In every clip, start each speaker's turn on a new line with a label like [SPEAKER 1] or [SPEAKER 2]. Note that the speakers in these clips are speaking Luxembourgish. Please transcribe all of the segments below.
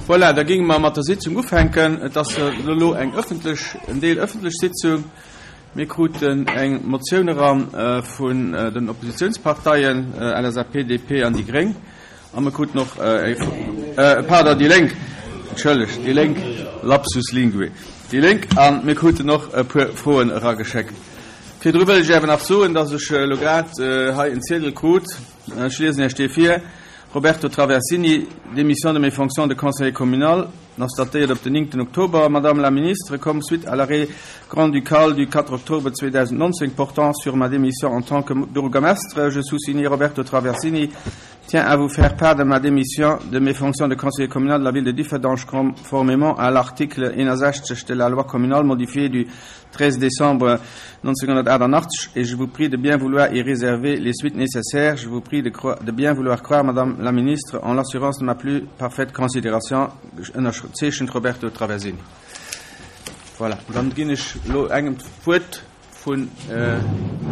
[SPEAKER 1] Voilà, da géinge mer mat der Sitzung ufänken. Et ass elo eng ëffentlech, en Deel ëffentlech Sitzung. Mir kruten eng Motioun eran vun den Oppositionsparteien, LSAP, DP an déi Gréng. A mir kruten och, pardon, déi Lénk, entschëllegt, déi Lénk, lapsus linguae, déi Lénk. A mir kruten och e puer Froen erageschéckt. Virdru wëll ech awer nach soen, dass ech elo grad hei en Ziedel krut, Ech liesen Iech dee vir, Roberto Traversini, Démission de mes fonctions de conseiller communal, ass datéiert op den 9 Oktober, Madame la Ministre, comme suite à l'arrêt grand-ducal du 4 octobre 2019 portant sur ma démission en tant que bourgmestre, je soussigné Roberto Traversini, tiens à vous faire part de ma démission de mes fonctions de conseiller communal de la ville de Differdange conformément à l'article 61 de la loi communale modifiée du 13 décembre 1988 et je vous prie de bien vouloir y réserver les suites nécessaires. Je vous prie de, de bien vouloir croire, Madame la Ministre, en l'assurance de ma plus parfaite considération. Ënnerzeechent Roberto Traversini. Voilà. Dann ginn ech lo engem d'Wuert vun, äh,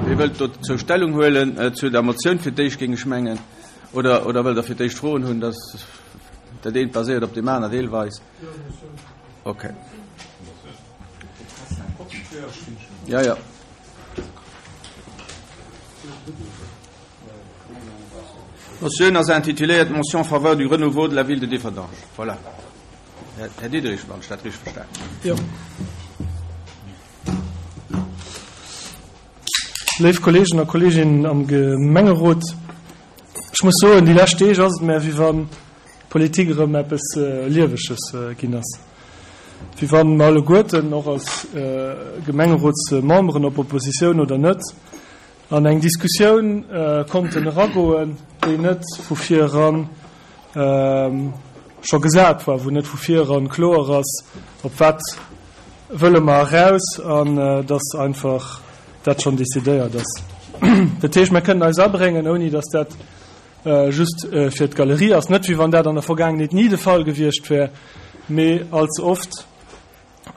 [SPEAKER 1] wie wëllt dozou Stellung huelen äh, zu der Motioun fir d'éischt géing ech mengen oder oder wëllt der fir d'éischt Froen hunn, dass dat eent baséiert op deem aner deelweis. Okay. Ja, ja. D'Motioun ass intituléiert Motion en faveur du renouveau de la ville de Differdange. Voilà. Här Diderich, wann ech dat richteg verstanen hunn.
[SPEAKER 2] Jo. Léif Kolleegen a Kolleeginnen am Gemengerot, ech muss soen, déi lescht Deeg ass et mär, wéi wann d'Politik erëm eppes Lieweges ginn ass. Wéi wann mer alleguerten, och als Gemengerotsmemberen, ob Oppositioun oder net, an eng Diskussioun konnten eragoen, déi net vu vir eran scho gesat war, wou net vu vir eran kloer ass, op wat wëlle mer eraus, an dass einfach dat schonn decidéiert ass. Dat heescht, mer kënnen eis abréngen, ouni dass dat just fir d'Galerie ass. Net wéi wann dat an der Vergaangenheet ni de Fall gewiescht wär, mee allze oft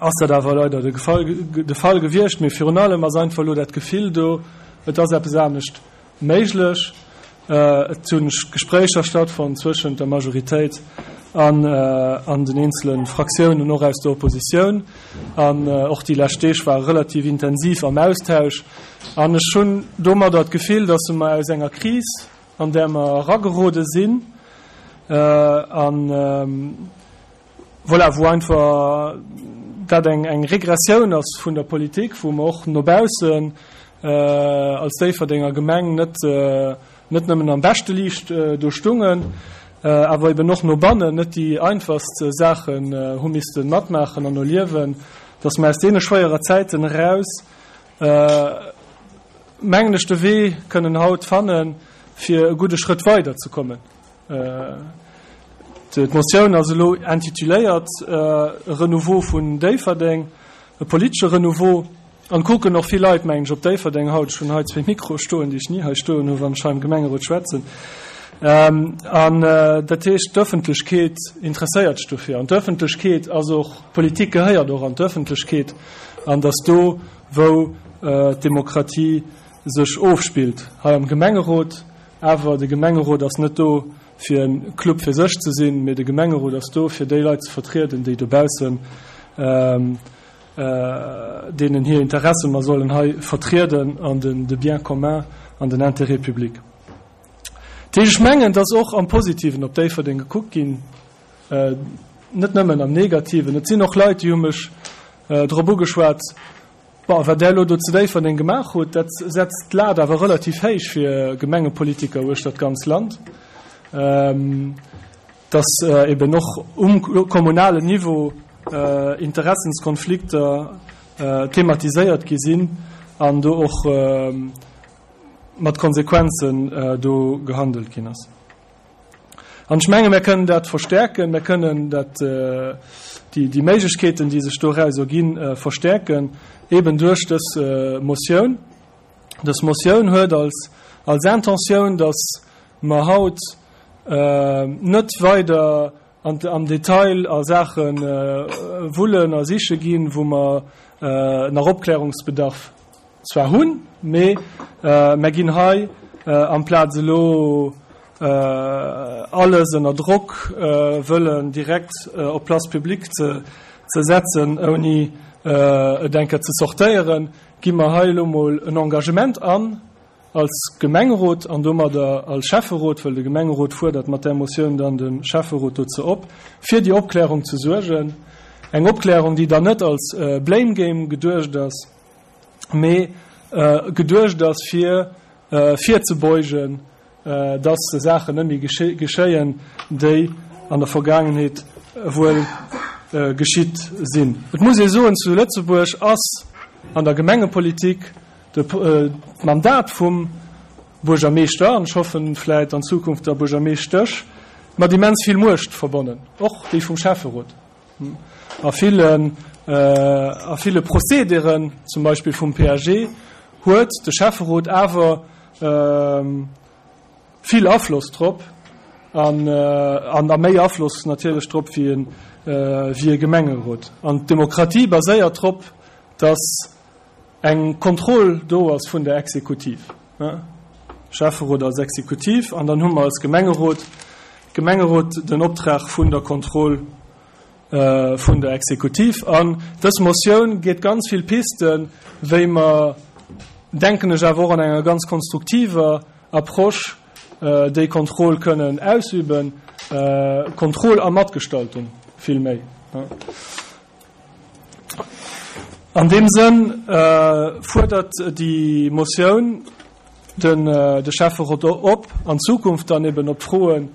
[SPEAKER 2] ass dat awer leider de Fall, de Fall gewiescht. Mee virun allem ass einfach elo dat Gefill do, et ass eppes anescht méiglech. Et hu Gespréicher stattfonnt zwëschent der Majoritéit an an den eenzele Fraktiounen, och aus der Oppositioun. An och déi lescht Deeg ware relativ intensiv am Austausch. An ech hunn domadder d'Gefill, dass mer aus enger Kris, an där mer eragerode sinn, an voilà, wou einfach dat eng, eng Regressioun ass vun der Politik, wou mer och no baussen als Déifferdenger Gemeng net, net nëmmen am beschte Liicht do stungen, awer eben och no bannen net déi einfachst Saachen hu misste matmaachen an erliewen, dass mer aus deene schwéierer Zäiten eraus, mengen ech, de Wee kënnen haut fannen, fir e gudde Schrëtt weider ze kommen. D'Motioun ass elo intituléiert E Renouveau vun Déifferdeng, e politesche Renouveau. An kucken och vill Leit, mengen ech, op Déifferdeng haut. Ech hunn hei zwee Mikroe stoen, déi ech ni hei stoen hunn, wann ech hei am Gemengerot schwätzen. An dat heescht, d'Ëffentlechkeet interesséiert sech dofir. An d'Ëffentlechkeet ass och, d'Politik gehéiert och an d'Ëffentlechkeet. An datt do, wou d'Demokratie sech ofspillt, hei am Gemengerot, awer de Gemengerot ass net do, fir e Club fir sech ze sinn, mee de Gemengerot ass do, fir déi Leit ze vertrieden, déi dobaussen, deenen hir Interesse mer sollen hei vertrieden an den de Bien commun an den Intérêt public. Dat heescht, ech mengen, dass och am Positiven op Déifferdeng gekuckt ginn, net nëmmen am Negativen. Et sinn och Leit, déi hu mech drop ugeschwat, Bon, wat Der elo do zu Déifferdeng gemaach hutt, dat setzt d'Lat awer relativ héich fir Gemengepolitiker uechter d'ganz Land, dass eben och um kommunalen Niveau Interessenskonflikter thematiséiert gi sinn an do och mat Konsequenzen do gehandelt ginn ass. An ech menge mir kënnen dat verstärken, mir kënnen dat, déi, déi Méiglechkeeten, déi sech doraus erginn, verstärken, eben duerch dës Motioun. Dës Motioun huet als, als Intentioun, dass mer haut net weider an, am Detail a Saache wullen a siche ginn, wou mer nach Opklärungsbedarf zwar hunn, mee mer ginn hei amplaz elo. Alles ënner Drock wëllen direkt op d'Place publique ze setzen, ouni et eng Kéier ze sortéieren, gi mer hei elo mol en Engagement an als Gemengerot an domadder als Schäfferot, well de Gemengerot fuerdert mat där Motioun dann de Schäfferot dozou op, fir déi Opklärung ze suergen. Eng Opklärung, déi dann net als Blame Game geduecht ass, mee geduecht ass, fir virzebeugen, dass Saachen net méi geschéien, déi an der Vergaangenheet wuel geschitt sinn. Et muss ee soen, zu Lëtzebuerg ass an der Gemengepolitik d'Mandat vum Buergermeeschter, an ech hoffen vläit an Zukunft der Buergermeeschtesch, mat immens vill Muecht verbonnen, och déi vum Schäfferot. A villen, a ville Procédéren, zum Beispill vum PAG, huet de Schäfferot awer vill Afloss drop an, an a méi Afloss natierlech drop wéi e, wéi e Gemengerot. An d'Demokratie baséiert drop, dass eng Kontroll do ass vun der Exekutiv, Schäfferot als Exekutiv, an dann hu mer als Gemengerot, Gemengerot den Optrag vun der Kontroll vun der Exekutiv. An dës Motioun geet ganz vill Pisten, wéi mer, denken ech, awer och an enger ganz konstruktiver Approche déi Kontroll kënnen ausüben, Kontroll a Matgestaltung vill méi. An deem Sënn fuerdert déi Motioun de Schäfferot op, an Zukunft dann eben op d'Froen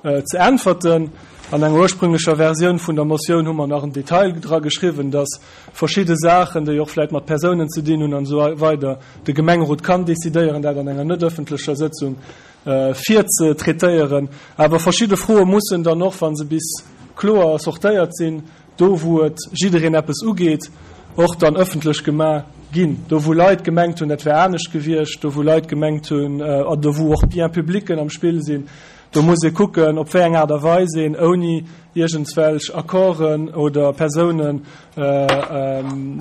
[SPEAKER 2] ze äntwerten. An enger ursprünglecher Versioun vun der Motioun hu mer nach en Detail dra geschriwwen, dass verschidde Saachen, déi och vläicht mat Persounen ze dinn hunn an esou weider, de Gemengerot kann decidéieren, dat an enger net ëffentlecher Sëtzung virzetraitéieren. Awer verschidde Froe mussen dann och, wa se bis kloer sortéiert sinn, do wou et jiddereen eppes ugeet, och dann ëffentlech gemaach ginn. Do wou Leit gemengt hunn, dat wär anescht gewiescht, do wou Leit gemengt hunn, an do wou och Biens publicen am Spill sinn, do muss ee kucken, op wéi eng Aart a Weis een ouni iergendswelch Accorden oder Persounen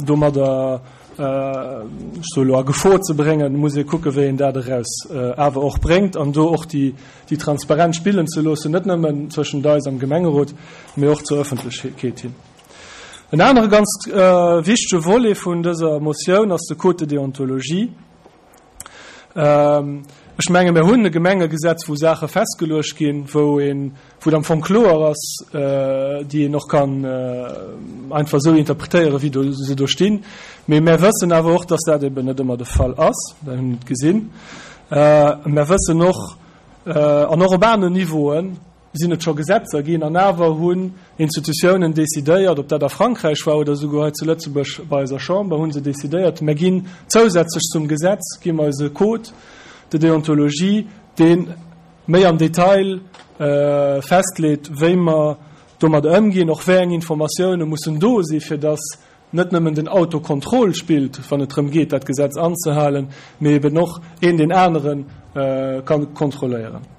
[SPEAKER 2] domadder, ech soe lo, a Gefor ze bréngen, muss ee kucken, wéi een dat eraus awer och bréngt an do och déi déi Transparenz spillen ze loossen, net nëmmen zwëschent eis am Gemengerot, mee och zur Ëffentlechkeet hin. En anere ganz wichtege Volet vun dëser Motioun ass de Code de déontologie. Ech menge mir hunn e Gemengegesetz, wou Saache festgeluecht ginn, wou een, wou et am Fong kloer ass, déi een och kann einfach esou interpretéieren, wéi do se do stinn. Mee mär wëssen awer och, dass dat eben net ëmmer de Fall ass, dat hu mir gesinn. Mär wëssen och, an och op aneren Niveauen sinn et scho Gesetzer ginn, an awer hunn Institutiounen decidéiert, ob dat a Frankräich war oder esouguer hei zu Lëtzebuerg bei eiser Chamber, hu se decidéiert, mär ginn zousätzlech zum Gesetz, gi mer eise Code de déontologie, dee méi am Detail festleet, wéi mer domat ëmginn, och wéi eng Informatioune mussen do si fir datt net nëmmen den Autocontrôle spillt, wann et drëm geet, dat Gesetz anzehalen, mee eben och een deen anere ka kontrolléieren.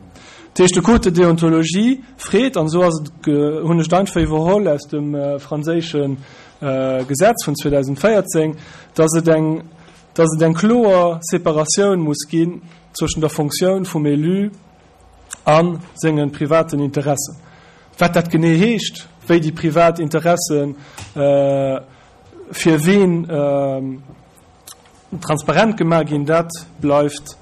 [SPEAKER 2] Dat heescht, de Code de déontologie freet, an esou ass et, hunn ech et einfach iwwerholl aus dem franséische Gesetz vun 2014, dass et eng, dass et eng kloer Separatioun muss ginn zwëschen der Fonctioun vum Élu a senge privaten Interessen. Wat dat genee heescht, wéi déi privat Interesse fir ween transparent gemaach ginn, dat bleift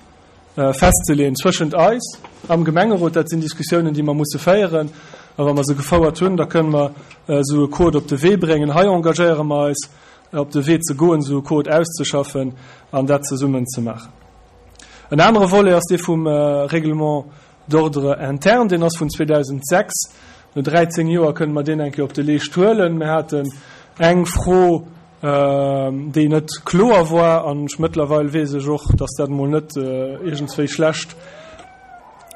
[SPEAKER 2] festzeleeën zwëschent eis am Gemengerot. Dat sinn Diskussiounen, déi mer musse féieren. A wa mer se gefouert hunn, da kënnen mer esou e Code op de Wee bréngen. Hei engagéiere mer eis, op de Wee ze goen, esou e Code auszeschaffen an dat zesummen ze maachen. En anere Volet ass dee vum Règlement d'ordre interne, deen ass vun 2006. No 13 Joer kënnen mer deen eng Kéier op de Leescht huelen. Mir haten eng Fro, déi net kloer war, an ech mëttlerweil weess ech och, dass dat emol net iergendswéi schlecht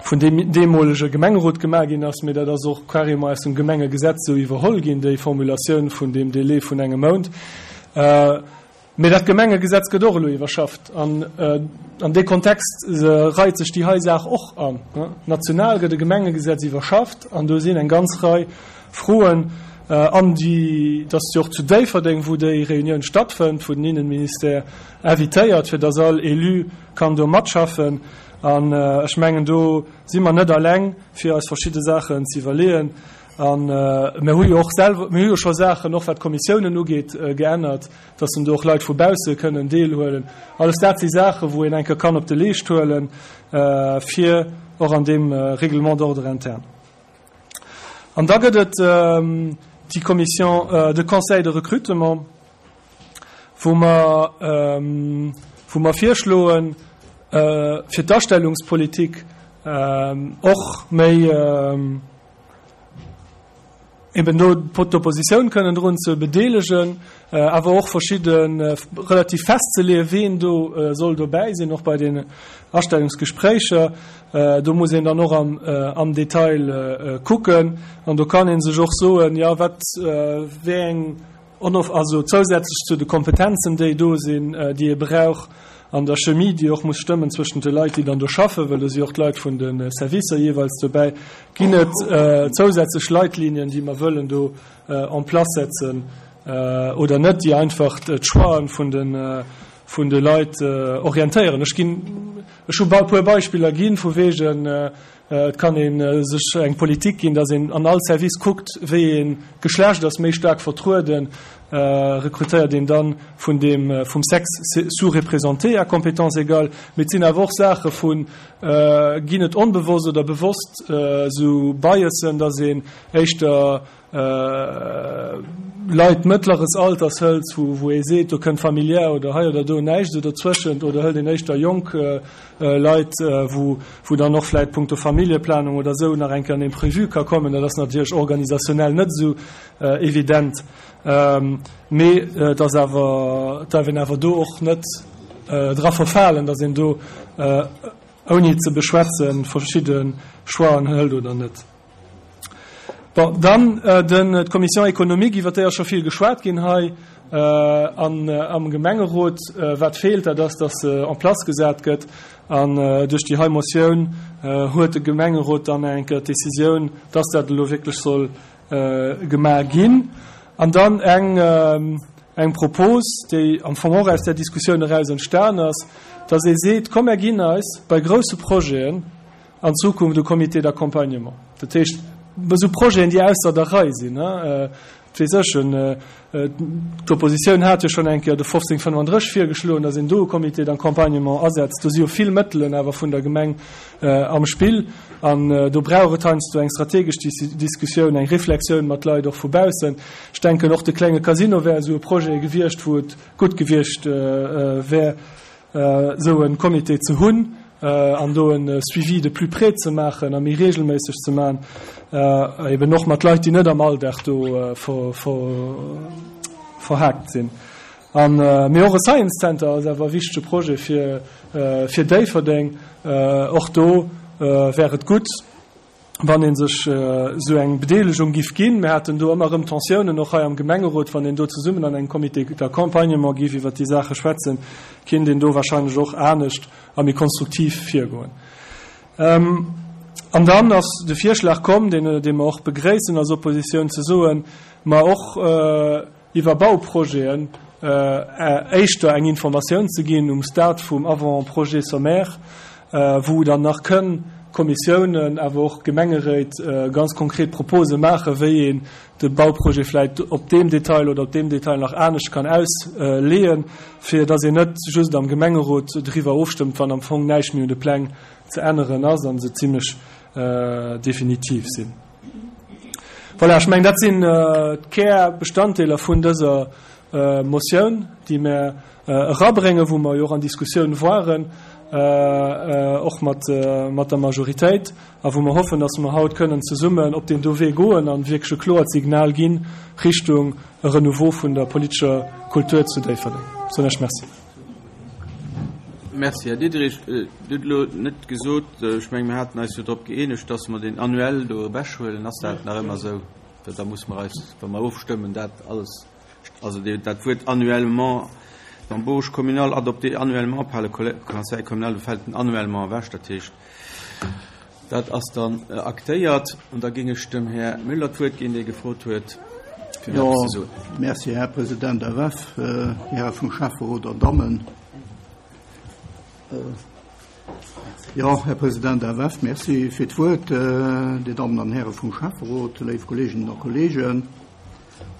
[SPEAKER 2] vun deem deemolege Gemengerot gemaach ginn ass, mee dat ass och carrément aus dem Gemengegesetz esou iwwerholl ginn, déi Formulatioun vun deem Délai vun engem Mount. Mee dat Gemengegesetz gëtt och elo iwwerschafft an an dee Kontext reit sech déi hei Saach och an. National gëtt e Gemengegesetz iwwerschafft an do sinn eng ganz Rei Froen. An déi, dass déi och zu Déifferdeng, wou déi Reunioun stattfënnt, wou den Innenministère invitéiert, fir dass all Élu kann do matschaffen. An ech mengen, do si mer net alleng, fir eis verschidde Saachen ze iwwerleeën. A mir hu jo och selwer, mir hu jo scho Saachen, och wat d'Kommissiounen ugeet, geännert, dass en do och Leit vu bausse kënnen deelhuelen. Alles dat si Saachen, wou een eng Kéier kann op de Leescht huelen, fir och an deem Règlement d'ordre interne. An da gëtt et déi Commission de conseil de recrutement, wou mer, wou mer virschloen, fir d'Astellungspolitik och méi, eben do d'Oppositioun kënnen drun ze bedeelegen, awer och verschidde relativ festzeleeën, ween do soll dobäi sinn, och bei den Astellungsgespréicher. Do muss een dann och am Detail kucken an do kann ee sech och soen, jo wat, wéi eng Onof, also zousätzlech zu de Kompetenzen, déi do sinn, déi ee brauch an der Chemie, déi och muss stëmmen zwëschent de Leit, déi dann do schaffen, well do si och d'Leit vun de Servicer jeeweils dobäi, ginn et zousätzlech Leitlinien, déi mer wëllen do en place setzen oder net, déi einfach d'Choixen vun de, vun de Leit orientéieren. Ech ginn, ech hu e puer Beispiller ginn, vu wegen, Et kann ee sech eng Politik ginn, datt een an all Service kuckt, wéi ee Geschlecht ass méi staark vertrueden, rekrutéiert een dann vun deem vum Sexe sous-représenté à compétences égales. Mee et sinn awer och Saache vu ginn et onbewosst oder bewosst esou Biasen, datt een éischter Leit mëttleres Alters hëlt, wou ee seet, do kënnt familiär oder hei oder do näischt esou dozwëschent, oder hëlt een éischter jonk Leit, wou dann och vläicht punkto Familljeplanung oder esou nach eng Kéier en Imprévu ka kommen. Dat ass natierlech organisationnel net esou evident, mee et ass awer, et darf een awer do och net dra verfalen, datt een do ouni et ze beschwätzen verschidde Choixen hëlt oder net. Bon, dann den, d'Commission économique, iwwert déi ass scho vill geschwat ginn hei an am Gemengerot. Wat feelt, dat ass, dass se en place gesat gëtt. An duerch déi hei Motioun huet de Gemengerot dann eng Kéier d'Décisioun, dass dat elo wierklech soll gemaach ginn. An dann eng, eng Propos, déi am Fong och aus där Diskussioun eraus entstan ass, dass ee seet, Komm, mär ginn eis bei grousse Projeten, an Zukunft e Comité d'accompagnement. Dat heescht, esou Projeten, déi ausser der Rei sinn, et weess ech, d'Oppositioun hat jo schonn eng Kéier de 1535 virgeschloen, datt een do e Comité d'accompagnement asetzt. Do si jo vill Mëttelen awer vun der Gemeng am Spill an do brauch et heiansdo eng strategesch Diskussioun, eng Reflexioun mat Leit och vu baussen. Ech denken, och de klenge Casino wär esou e Projet gewiescht, wou et gutt gewiescht wär, esou e Comité ze hunn an do e Suivi de plus près ze maachen a méi regelméisseg ze maachen, eben och mat Leit, déi net am Alldag do verhaakt sinn. An, mee och e Science Center ass awer e wichtege Projet fir, fir Déifferdeng. Och do wär et gutt, wann ee sech esou eng Bedeelegung giff ginn. Mir haten do ëmmer erëm Tensiounen, och hei am Gemengerot, wann een do zesummen an engem Comité d'accompagnement giff iwwert déi Saache schwätzen, kinnt een do wahrscheinlech och anescht a méi konstruktiv virgoen. An dann ass de Virschlag komm, deen, dee mer och begréissen als Oppositioun, ze soen, ma och, iwwer Bauprojeten éischter eng Informatioun ze ginn um Stade vum Avant-projet sommaire, wou dann nach kënn Kommissiounen, awer och Gemengeréit ganz konkret Propose maachen, wéi een de Bauprojet vläicht op deem Detail oder op deem Detail nach anescht kann ausleeën, fir dass een net just am Gemengerot driwwer ofstëmmt, wann am Fong näischt méi un de Pläng ze änneren ass a se zimlech definitiv sinn. Voilà, ech mengen, dat sinn d'Kärbestanddeeler vun dëser Motioun, déi mir erabréngen, wou mer jo och an Diskussioun waren, och mat der Majoritéit, a wou mer hoffen, dass mer haut kënnen zesummen op deen do Wee goen a wierklech e kloert Signal gi Richtung e Renouveau vun der politescher Kultur zu Déifferdeng. Soen ech Merci.
[SPEAKER 1] Merci, Här Diderich. Dir hutt elo net gesot, ech menge mir haten eis jo drop gëeenegt, dass mer deen annuel do ewechhuelen. Ass dat nach ëmmer esou? Well da muss mer eis, wa mer ofstëmmen, dat alles, also dat Wuert annuellement, d'embauche communale adoptée annuellement par le Conseil communal, do fält den annuellement ewech. Dat heescht, dat ass dann aktéiert. An da géing ech dem Här Müller d'Wuert ginn, dee gefrot huet. fir eppes ze soen.
[SPEAKER 3] Jo, merci, Här President FF, Häre vum Schäfferot an Dammen. Jo, Här President FF, merci fir d'Wuert. Dir Dammen an Häre vum Schäfferot, léif Kolleeginnen a Kolleegen,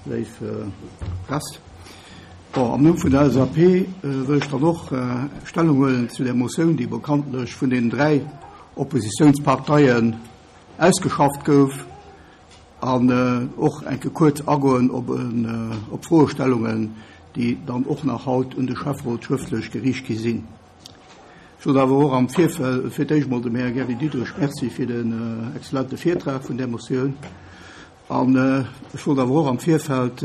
[SPEAKER 3] léif Press. Bon, am Numm vun der LSAP wëll ech dann och Stellung huelen zu där Motioun, déi bekanntlech vun deenen dräi Oppositionsparteien ausgeschafft gouf, an och eng Kéier kuerz agoen op op Froestellungen, déi dann och nach haut un de Schäfferot schrëftlech geriicht gi sinn. Ech wollt awer och am Virfeld fir d'éischt emol dem Här Gary Diderich Merci fir den exzellente Virtrag vun där Motioun an ech wollt awer och am Virfeld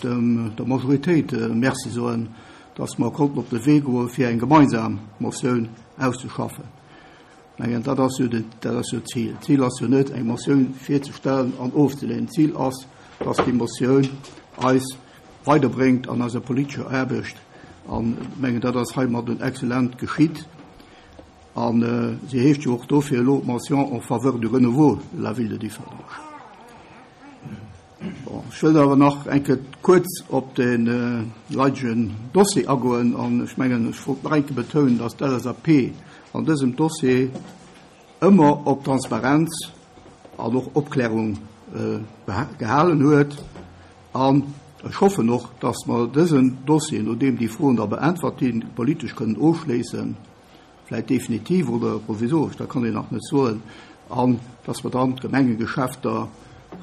[SPEAKER 3] dem der Majoritéit Merci soen, dass mer konnten op de Wee goe fir eng gemeinsam Motioun auszeschaffen. Ech mengen, dat ass jo dat ass jo d'Zil. D'Zil ass jo net, eng Motioun virzestellen an ofzelehnen. D'Zil ass, dass déi Motioun eis weiderbréngt an eiser politescher Aarbecht. An ech mengen, dat ass heimadden exzellent geschitt. A si heescht jo och dofir elo Motion en faveur du renouveau de la ville de Differdange. Bon, ech wëllt awer nach eng Kéier kuerz op de leidegen Dossier agoen an ech mengen, ech wollt nach eng Kéier betounen, dass d'LSAP an dësem Dossier ëmmer op Transparenz an och Opklärung gehalen huet. An ech hoffen och, dass mer dësen Dossier, nodeem déi Froen da beäntwert ginn, politesch kënnen ofschléissen. vläit definitiv oder provisoresch, dat kann een nach net soen, an dass mer dann d'Gemengegeschäfter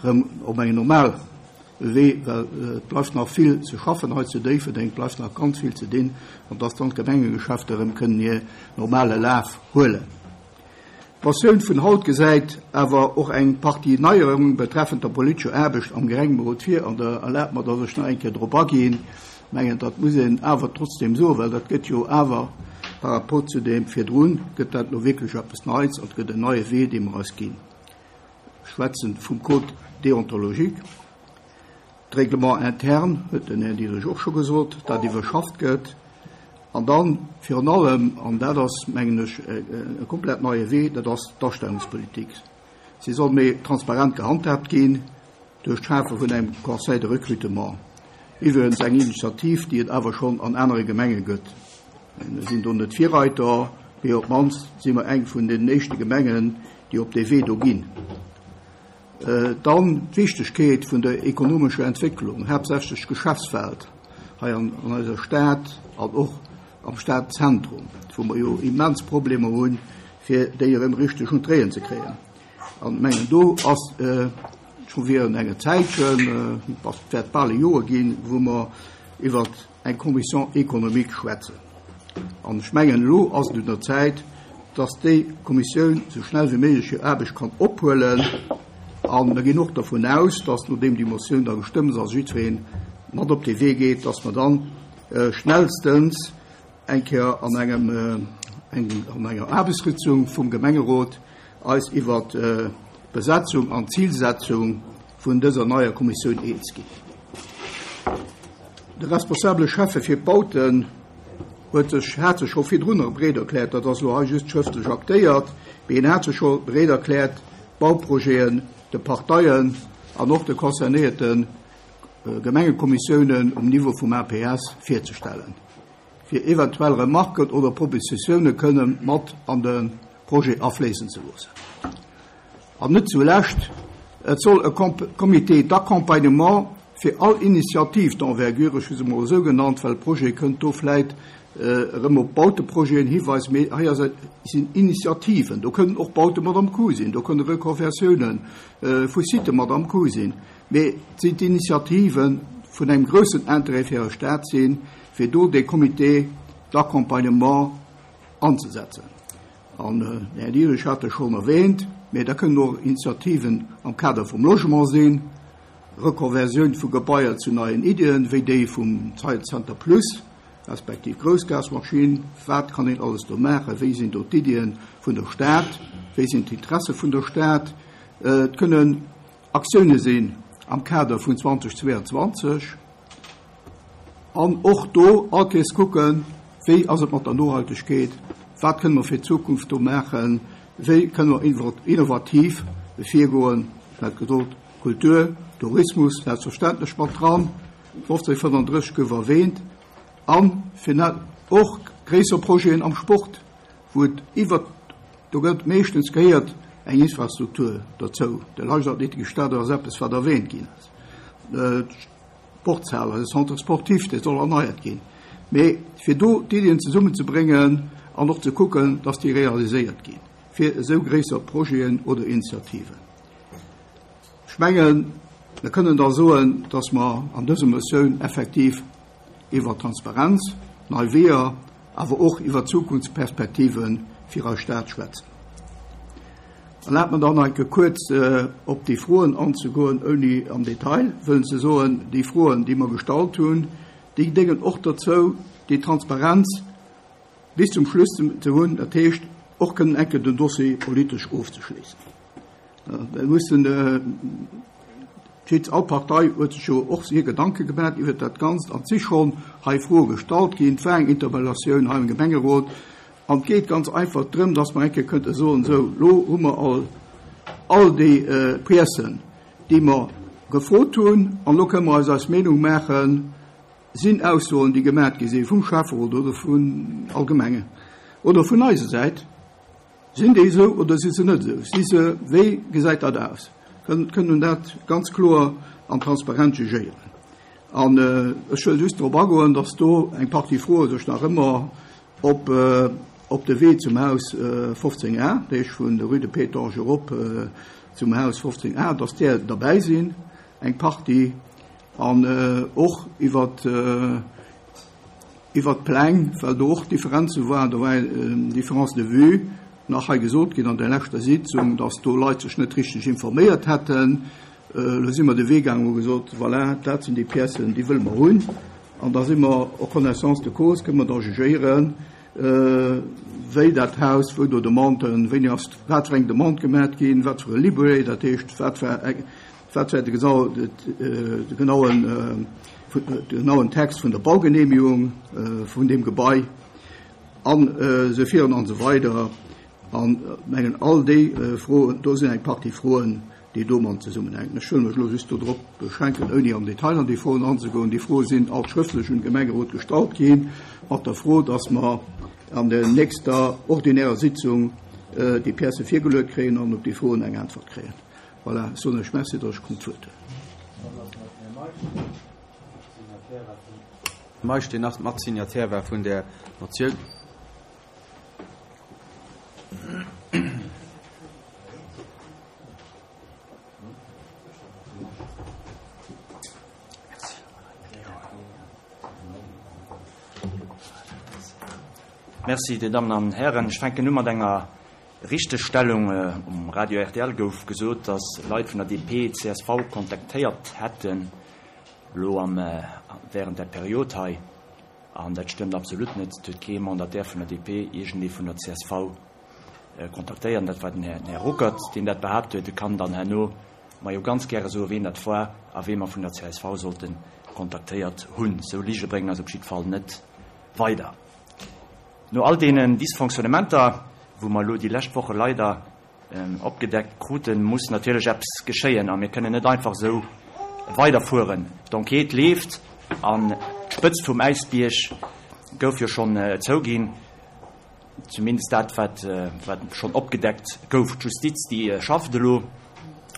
[SPEAKER 3] erëm op engem normale Wee, well et bleift nach vill ze schaffen hei zu Déifferdeng, et bleift nach ganz vill ze dinn, an dass dann d'Gemengegeschäfter erëm kënnen hir normale Laf huelen. D'Motioun vun haut gesäit awer och eng Partie Neierunge betreffend der politescher Aarbecht am Gemengerot vir an Der erlaabt mer, dass ech nach eng Kéier drop aginn. Ech mengen, dat muss een awer trotzdeem soen, well dat gëtt jo awer par rapport zu deem virdrun, gëtt dat elo wierklech eppes Neits an et gëtt en neie Wee, dee mer eis ginn. Ech schwätzen vum Code déontologique. D'Règlement interne, huet den Här Diderich och scho gesot, dat iwwerschafft gëtt. An dann virun allem, an dat ass, mengen ech, e komplett neie Wee, dat ass d'Astellungspolitik. Si soll méi transparent gehandhaabt ginn duerch d'Schafe vun engem Conseil de recrutement. Iwwregens eng Initiativ, déi et awer schonn an anere Gemenge gëtt. Mir sinn do net Virreiter, mee op d'mannst si mer eng vun den éischte Gemengen, déi op dee Wee do ginn. Dann d'Wichtegkeet vun der ekonomescher Entwécklung, haaptsächlech d'Geschäftswelt hei an eiser Stad an och am Stadzentrum, wou mer jo immens Problemer hunn, fir déi erëm richteg un d'Réien ze kréien. An ech mengen, do ass scho virun enger Zäitchen, et wäert bal e Joer ginn, wou mer iwwert eng Commission économique schwätzen. An ech mengen, elo ass et un der Zäit, dass déi Kommissioun esou schnell wéi méiglech hir Aarbecht kann ophuelen. A mir ginn och dervun aus, dass, nodeem déi Motioun da gestëmmt ass, jiddweree mat op dee Wee geet, dass mer dann schnellstens eng Kéier an engem, an enger Aarbechtssitzung vum Gemengerot eis iwwert d'Besetzung an d'Zilsetzung vun dëser neier Kommissioun eens ginn. De responsabele Schäffe fir d'Bauten huet sech, hat sech scho virdrunner bereet erkläert, dat ass elo hei just schrëftlech aktéiert, mee en hat sech scho bereet erkläert, d'Bauprojeten de Parteien an och de concernéierte Gemengekommissiounen um Niveau vum APS virzestellen, fir eventuell Remarken oder Propositioune kënne mat an de Projet afléissen ze loossen. An net zulescht, et soll e Comité d'accompagnement fir all Initiative d'envergure, ech hu se emol esou genannt, well Projet kënnt do vläit erëm op Bauteprojeten hiweisen, mee hei ass et, sinn Initiativen, do kënnen och Baute mat am Coup sinn, do kënne Reconversiounen vu Sitë mat am Coup sinn, mee et sinn d'Initiativen vun engem groussen Intérêt fir eis Stad sinn, fir do dee Comité d'accompagnement anzesetzen. An den Här Dierich hat e schonn erwähnt, mä da kënnen och Initiativen am Kader vum Logement sinn, Rekonversioun vu Gebaier zu neien Iddien, wéi déi vum Science Center Plus, respektiv Groussgasmaschinn. Wat kann een alles do maachen? Wéi sinn do d'Iddien vun der Stad? Wéi sinn d'Interesse vun der Stad? Et kënnen Aktioune sinn am Kader vun 2022. An och do all Kees kucken, wéi ass et mat der Nohaltegkeet, wat kënne mer fir d'Zukunft do maachen, wéi kënne mer innovativ virgoen, ech hat gesot, Kultur, Tourismus selbstverständlech mat dran, 1535 gouf erwähnt, a fir och gréisser Projeten am Sport, wou et iwwert, do gëtt meeschtens gehéiert eng Infrastruktur dozou, de Leichtathletikstadion ass eppes wat erwähnt ginn ass, d'Sportshal, eise Centre sportif, dee soll erneiert ginn, mee fir do d'Iddien zesummenzebréngen an och ze kucken, dass déi realiséiert ginn, fir esou gréisser Projeten oder Initiativen. Ech mengen, mir kënnen da soen, dass mer an dëser Motioun effektiv iwwer Transparenz, nei Weeër, awer och iwwer Zukunftsperspektive fir eis Stad schwätzen. Erlaabt mer dann nach eng Kéier kuerz op déi Froen anzegoen, ouni am Detail wëllen ze soen. Déi Froen, déi mer gestallt hunn, déi déngen och dozou, déi Transparenz bis zum Schluss ze hunn, dat heescht och kënnen eng Kéier den Dossier politesch ofzeschléissen. Mir mussen, all Partei huet sech jo och hir Gedanke gemaach iwwert dat Ganzt an et si schonn hei Froe gestallt ginn. Et war eng Interpellatioun hei am Gemengerot an et geet ganz einfach drëm, dass mer eng Kéier könnte soen, esou, elo hu mer all, all déi Piècen, déi mer gefrot hunn an elo kënne mer eis eis Meenung maachen, Sinn Aussoen, déi gemaach gi si vum Schäfferot oder vun allgemenge oder vun eiser Säit, Sinn déi esou oder si se net esou? Si se, wéi gesäit dat aus? Kënnt un dat ganz kloer an transparent jugéieren. An ech wëll just drop agoen, datt do eng Partie Froe sech nach ëmmer op op de Wee zum Haus 15 A, dat heescht vun der Rue de Pétange erop zum Haus 15 A, datt där derbäi sinn, eng Partie, an och iwwert Iwwert d'Pläng, well do och Differenze waren, do war eng Différence de vue nach hei gesot ginn an der leschter Sitzung, dass do Leit sech net richteg informéiert hätten. Elo si mer de Wee gaangen, hu gesot, voilà, dat sinn déi Piècen, déi wëlle mer hunn. An da si mer en connaissance de cause, kënne mer da jugéieren, wéi dat Haus, wou do Demanden, wéini ass wat fir eng Demande gemat ginn, wat fir e Libellé, dat heescht, wat war eng, Wat war de genauen Text vun der Baugenehmigung vun deem Gebai an esou virun an esou weider. An mengen all déi Froen, do sinn eng Partie Froen, déi domat zesummenhänken. Ech wëll mech elo just dodrop beschränken, ouni am Detail an déi Froen anzegoen. Déi Froe sinn all schrëftlech un de Gemengerot gestallt ginn, mat der Fro, dass mer an der nächster ordinärer Sitzung déi Piècë virgeluet kréien an op déi Froen eng Äntwert kréien. Voilà, ech soen lech Merci, datt ech konnt d'Wuert huelen.
[SPEAKER 1] Meisch, deen nach Matsignataire war vun där Motioun.
[SPEAKER 4] Merci, Dir Dammen an Hären. Ech fänken u mat enger Richtegstellung, Um Radio rtl gouf gesot, datt Leit vun der DP csv kontaktéiert hätten, elo am während der Period hei. An dat stëmmt absolut net. Et huet kee Mandataire vun der DP iergendee vun der csv kontaktéiert. An dat war den Här Ruckert, deen dat behaapt huet. E kann dann herno mer jo ganz gäre soen, ween dat war a wee mer vun der csv sollte kontaktéiert hunn. Esou Lige bréngen eis op jiddwer Fall net weider. No all deenen Dysfonctionnementer, wou mer elo déi lescht Woche leider opgedeckt kruten, muss natierlech eppes geschéien a mir kënnen net einfach esou weiderfueren. D'Enquête leeft an d'Spëtzt vum Äisbierg gouf jo schonn zouginn, zumindest dat, wat schonn opgedeckt gouf. D'Justiz, déi schafft elo.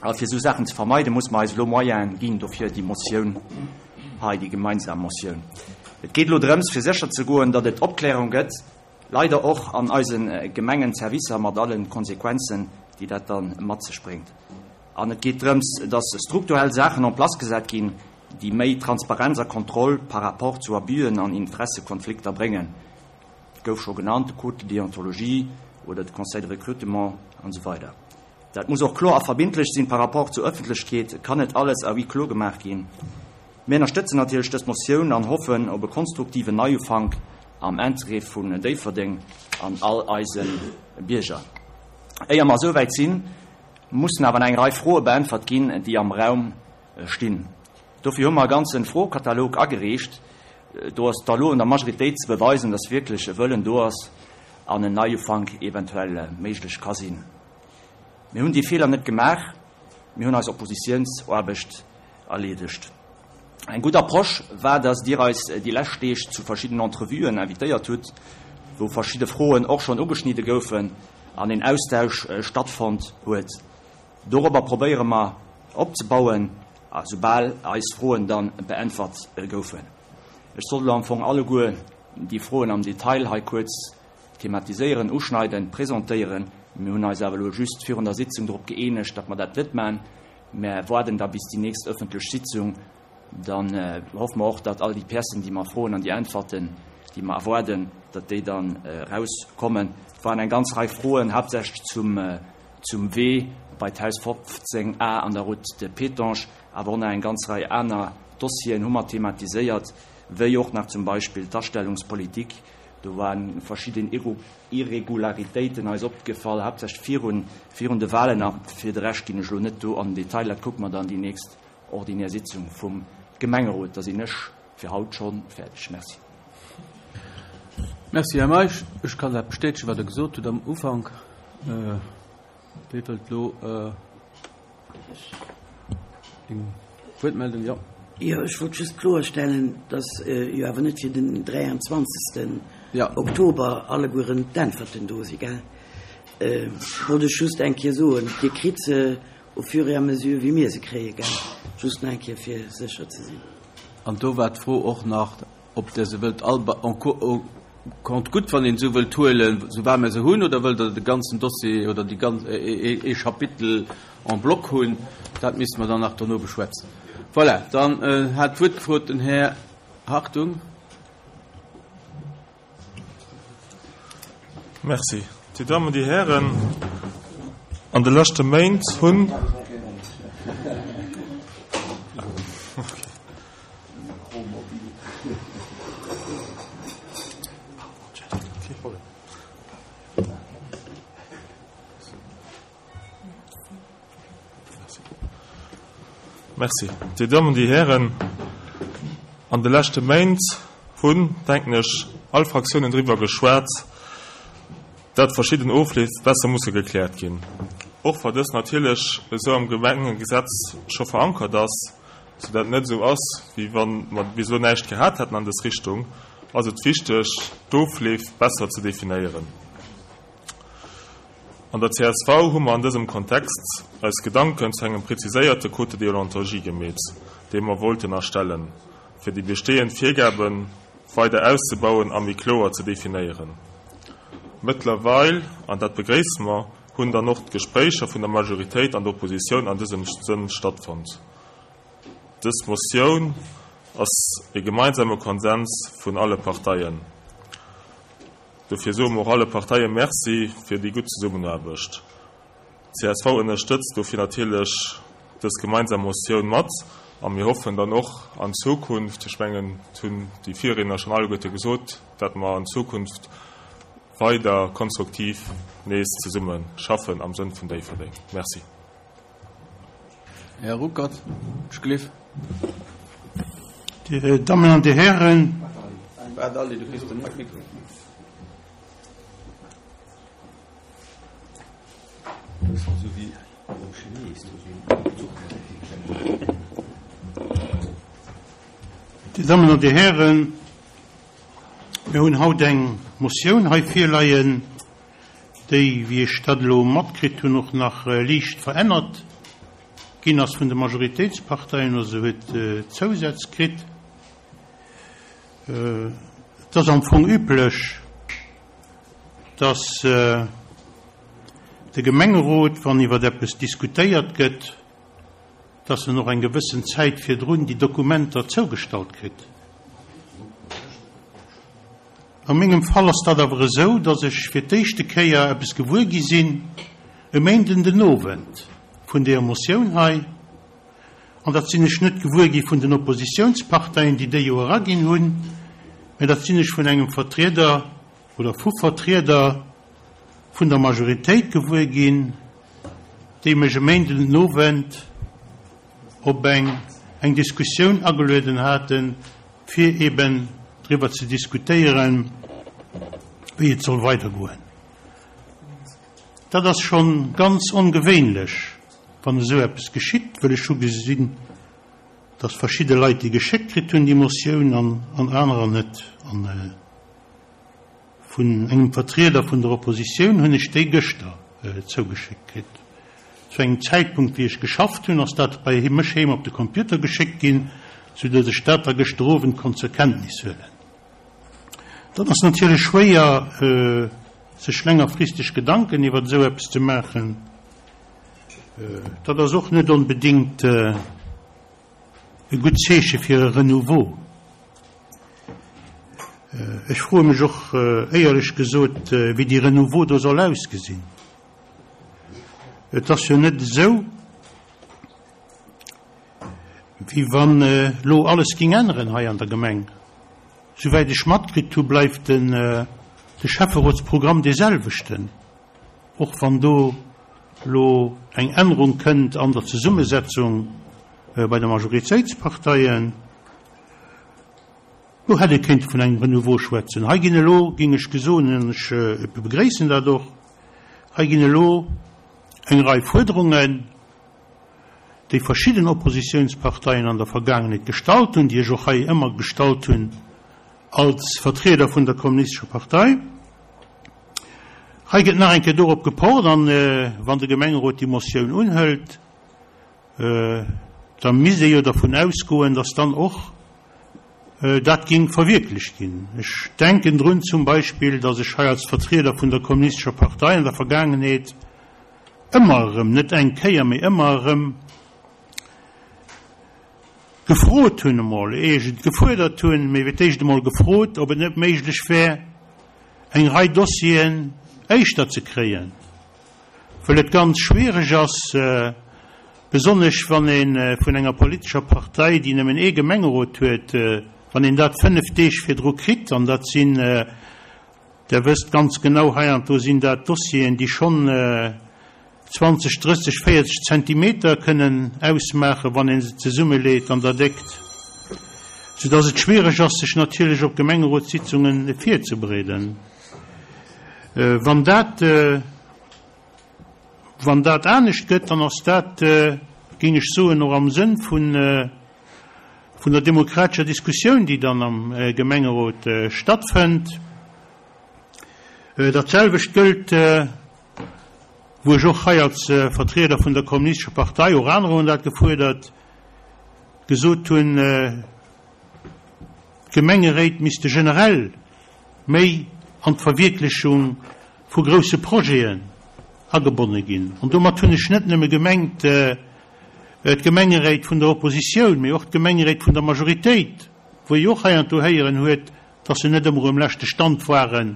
[SPEAKER 4] A fir esou Saachen ze vermeiden, muss mer eis elo Moyene ginn. Dofir déi Motioun hei, déi gemeinsam Motioun. Et geet elo drëms, fir sécher ze goen, datt et Opklärung gëtt, leider och an eise Gemengenservicer, mat alle Konsequenzen, déi dat da mat sech bréngt. An et geet drëms, datt strukturell Saachen en place gesat ginn, déi méi Transparenz a Kontroll par rapport zu Abüen an Interessekonflikter bréngen. Et gouf scho genannt, de Code de déontologie oder de Conseil de recrutement an esou weider. Dat muss och kloer a verbindlech sinn par rapport zur Ëffentlechkeet. Et kann net alles à huis clos gemaach ginn. Mir ënnerstëtzen natierlech dës Motioun an hoffen op e konstruktiven Neiufank am Interêt vun Déifferdeng an all eise Bierger. Éier mer esou wäit sinn, mussen awer nach eng Rei Froe beäntwert ginn, déi am Raum stinn. Dofir hu mer e ganze Froekatalog agereecht. Do ass et da lo un der Majoritéit ze beweisen, dass wierklech e Wëllen do ass an en Neiufank eventuell méiglech ka sinn. Mir hunn déi Feeler net gemaach. Mir hunn eis Oppositiounsaarbecht erleedegt. Eng gutt Approche war, dass Dir eis déi lescht Deeg zu verschiddenen Entrevuen invitéiert hutt, wou verschidde Froen och schonn ugeschnidde goufen an een Austausch stattfonnt huet. Dorobber probéiere mer opzebauen, soubal eis Froen da beäntwert goufen. Ech sollt elo am Fong alleguer déi Froen am Detail hei kuerz thematiséieren, uschneiden, presentéieren. Mir hunn eis awer elo just virun der Sitzung drop gëeenegt, datt mer dat net maachen. Mer waarden da bis déi nächst ëffentlech Sitzung. Dann hoffe mer och, datt all déi Piècen, déi mer froen an déi Äntwerten, déi mer erwaarden, datt déi dann erauskommen. Et waren eng ganz Rei Froen, haaptsächlech zum, zum Wee bei d'Haus 15 a an der Route de Pétange, awer och nach eng ganz Rei aner Dossieren hu mer thematiséiert, wéi och nach zum Beispill d'Astellungspolitik. Do ware verschidden Irregularitéiten eis opgefall, haaptsächlech virun, virun de Wahlen. A fir de Rescht ginn ech elo net do an den Detail, dat kucke mer dann déi nächst ordinär Sitzung vum Gemengerot. Da sinn ech fir haut scho fäerdeg. Merci.
[SPEAKER 1] Merci, Här Meisch. Ech kann dat bestätegen, wat Der gesot hutt am Ufank. Wie wëllt elo eng Wuertmeldung? Jo.
[SPEAKER 5] Jo, ech wollt just kloerstellen, dass jo awer net fir den 23. Oktober allegueren d'Äntwerten do si, gell? Wollt ech just eng Kéier soen. Dir kritt se au fur et à mesure, wéi mir se kréien, gell? Just nach eng Kéier, fir sécher ze sinn.
[SPEAKER 1] An do war d'Fro och nach, Ob Der se wëllt all en compte-gouttes, wann een esou wëllt, huelen, soubal mir se hunn, oder wëllt Der de ganzen Dossier oder déi ganz, ee Chapitel en bloc hunn, dat misste mer dann nach dono beschwätzen. Voilà, dann hat d'Wuert gefrot den Här Hartung.
[SPEAKER 6] Merci. Dir Dammen, Dir Hären, an de leschte Méint hunn. Merci. Dir Dammen, Dir Hären, an de leschte Méint hunn, denken ech, all Fraktiounen driwwer geschwat, dat verschidden Ofleef besser musse gekläert ginn. Och wa dës natierlech esou am Gemengegesetz scho verankert ass, sou dat et net esou ass, wéi wa mer bis elo näischt gehat hätten an dës Richtung, ass et wichteg, d'Ofleef besser ze definéieren. An der csv hu mer an dësem Kontext eis Gedanken zu engem preziséierte Code de déontologie gemeet, dee mer wollten erstellen, fir déi bestehend Virgabe weider auszebauen a méi kloer ze definéieren. Mëttlerweil, an dat begréisse mer, hunn dann och d'Gespréicher vun der Majoritéit an der Oppositioun an dësem Sënn stattfonnt. Dës Motioun ass e gemeinsame Konsens vun alle Parteien. Dofir soe mer och alle Parteie Merci fir déi gutt Zesummenaarbecht. Csv ënnerstëtzt dofir natierlech dës gemeinsam Motioun mat a mir hoffen dann och an Zukunft, ech mengen, et hunn déi Virriedner schonn alleguerte gesot, dat mer an Zukunft weider konstruktiv nees zesumme schaffen am Sënn vun Déifferdeng. Merci.
[SPEAKER 1] Här Ruckert, ech gleef.
[SPEAKER 7] Dir Dammen an Dir Hären.
[SPEAKER 1] Waart, Alli, du kriss den Mikro.
[SPEAKER 7] Dir Dammen an Dir Hären, mir hunn haut eng Motioun hei virleien, déi, wéi ech dat elo matkritt hunn, och nach liicht verännert ginn ass vun de Majoritéitsparteien, oder se huet Zousätz kritt. Et ass am Fong üblech, dass de Gemengerot, wann iwwer eppes diskutéiert gëtt, dass en och eng gewëssen Zäit virdrun déi Dokumenter zougestallt kritt. A mengem Fall ass dat awer esou, dass ech fir d'éischte Kéier eppes gewuer gi sinn e Méinden den Owend vun deeër Motioun hei. An dat sinn ech net gewuer gi vun den Oppositiounsparteien, déi déi jo eraginn hunn, mä dat sinn ech vun engem Vertrieder oder vu Vertrieder vun der Majoritéit gewuer ginn, déi mech e Méinden den Owend op eng eng Diskussioun agelueden haten, fir eben driwwer ze diskutéieren, wéi et soll weidergoen. Dat ass scho ganz ongewéinlech. wann esou eppes geschitt, wëll ech hu gesinn, dass verschidde Leit déi geschéckt kritt hunn, déi Motioun, an anerer net. An vun engem Vertrieder vun der Oppositioun hunn ech déi gëschter zougeschéckt kritt. Zu engem Zäitpunkt, wéi ech geschafft hunn, ass dat bei mech heem op de Computer geschéckt ginn, soudass ech dat da gëschter Owend konnt zur Kenntnis huelen. Dat ass natierlech schwéier, sech längerfristeg Gedanken iwwer esou eppes ze maachen. Dat ass och net onbedéngt e gutt Zeeche fir e Renouveau. Ech froe mech och éierlech gesot, wéi dee Renouveau do soll ausgesinn. Et ass jo net esou, wéi wann elo alles géing änneren hei an der Gemeng. Souwäit ech matkritt hu bleift de Schäfferotsprogramm dee selwechten, och wann do elo eng Ännerung kënnt an der Zesummesetzung bei de Majoritéitsparteien. Do hätt ee kéinte vun engem Renouveau schwätzen. Hei ginn elo, géing ech gesoen, an ech begréissen dat och, hei ginn elo eng Rei Fuerderungen, déi verschidden Oppositionsparteien an der Vergaangenheet gestallt hunn, déi ech och hei ëmmer gestallt hunn als Vertrieder vun der Kommunistescher Partei. Hei gëtt nach eng Kéier dorop gepocht, an wann de Gemengerot déi Motioun unhëlt, da misst ee jo dervun ausgoen, dass dann och dat géing verwierklecht ginn. Ech denken drun zum Beispill, dass ech hei als Vertrieder vun der Kommunistescher Partei an der Vergaangenheet ëmmer erëm, net eng Kéier, mee ëmmer erëm gefrot hunn emol, éier ech et gefuerdert hunn, mee fir d'éischt emol gefrot, ob et net méiglech wär, eng Rei Dossieren éischter ze kréien, wëll et ganz schwiereg ass, besonnesch wann ee vun enger politescher Partei, déi nëmmen ee Gemengerot huet, wann een dat fënnf Deeg virdru kritt, an dat sinn, Der wësst ganz genau, heiansdo sinn dat Dossieren, déi schonn 20, 30, 40 Zentimeter kënnen ausmaachen, wann ee se zesummeleet an der Déckt, soudass et schwiereg ass, sech natierlech op Gemengerotssitzunge virzebereeden. Wann dat, wann dat anescht gëtt, dann ass dat, géing ech soen, och am Sënn vun, vun der demokratescher Diskussioun, déi dann am Gemengerot stattfënnt. Dat selwecht gëllt, wou ech och hei als Vertrieder vun der Kommunistescher Partei, och anerer hunn dat gefuerdert, gesot hunn, d'Gemengeréit misste generell méi an d'Verwierklechung vu grousse Projeten agebonne ginn. An domat hunn ech net nëmme gemengt, d'Gemengeréit vun der Oppositioun, mee och d'Gemengeréit vun der Majoritéit, wou ee jo och heiansdo héieren huet, dass se net ëmmer um leschte Stand ware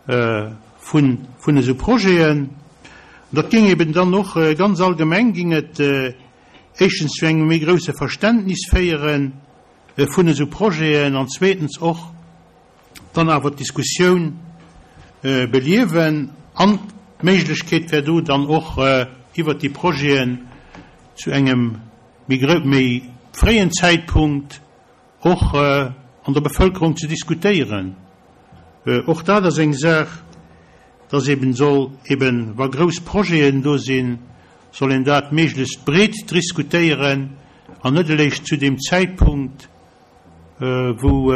[SPEAKER 7] vun esou Projeten. An dat géing eben dann och ganz allgemeng géing et éischtens zu engem méi grousse Verständnis féiere vun esou Projeten an zweetens och dann awer d'Diskussioun beliewen an d'Méiglechkeet wär do dann och iwwert déi Projeten zu engem méi fréien Zäitpunkt och an der Bevölkerung ze diskutéieren. Och dat ass eng Saach, dass eben soll eben, wa grouss Projeten do sinn, soll een dat méiglechst breet driskutéieren an net eréischt zu deem Zäitpunkt, wou,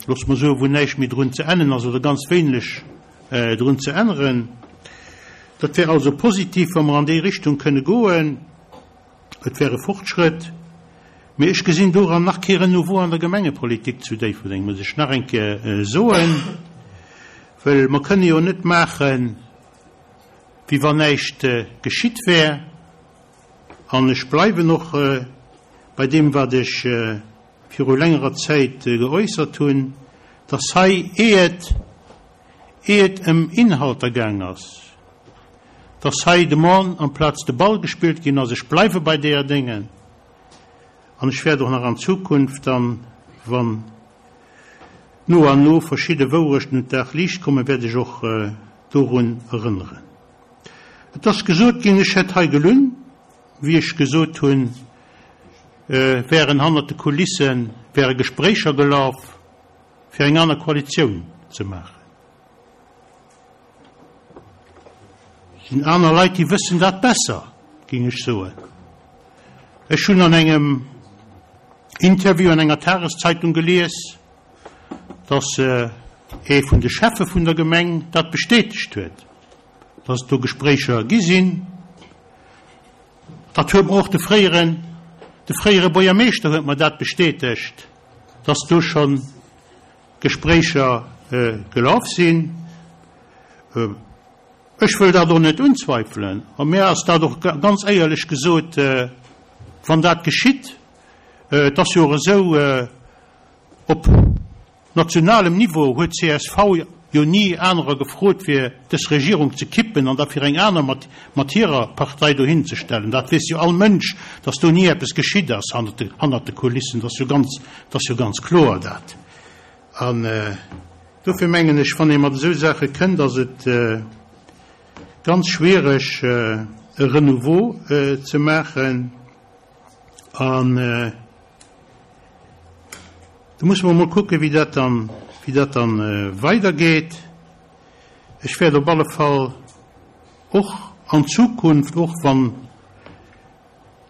[SPEAKER 7] loosse mer soen, wou näischt méi drun ze ännen ass oder ganz wéineg drun ze änneren. Dat wär also positiv, wa mer an déi Richtung kënne goen. Et wär e Fortschrëtt. Mee ech gesinn doran nach kee Renouveau an der Gemengepolitik zu Déifferdeng, muss ech nach eng Kéier soen, well mer kënne jo net maachen, wéi wann näischt geschitt wär. An ech bleiwen och bei deem, wat ech viru längerer Zäit geäussert hunn, dass hei, ier et, ier et ëm Inhalter gaang ass, dass hei de Mann amplaz de Ball gespillt ginn ass. Ech bleiwe bei deeër Déngen an ech wäert och nach an Zukunft dann, wann no an no verschidde Wourechten un d'Dagliicht kommen, wäert ech och dorun erënneren. Et ass gesot ginn, ech hätt hei gelunn, wéi ech gesot hunn, wären hannert de Kulisse wäre Gespréicher gelaf, fir eng aner Koalitioun ze maachen. Et sinn aner Leit, déi wëssen dat besser. géing ech soen. Ech hunn an engem Interview an enger Tageszeitung gelies, dass ee vun de Schäffe vun der Gemeng dat bestätegt huet, dass et do Gespréicher gi sinn. Dat huet mer och de fréieren, de fréiere Buergermeeschter huet mer dat bestätegt, dass do scho Gespréicher gelaf sinn. Ech wëll dat och net unzweifelen. A mir ass dat och ganz éierlech gesot, wann dat geschitt, et ass jo och esou, op nationalem Niveau huet csv jo ni anerer gefrot, fir dës Regierung ze kippen an da fir eng aner mat mat hirer Partei dohin ze stellen. Dat weess jo all Mënsch, datt do ni eppes geschitt ass hannert de Kulissen. Dat ass jo ganz, dat ass jo ganz kloer dat. An dofir mengen ech, wann ee mat esou Saache kënnt, ass et ganz schwiereg e Renouveau ze maachen. An do musse mer emol kucken, wéi dat dann, wéi dat dann weidergeet. Ech wäert op alle Fall och an Zukunft, och wann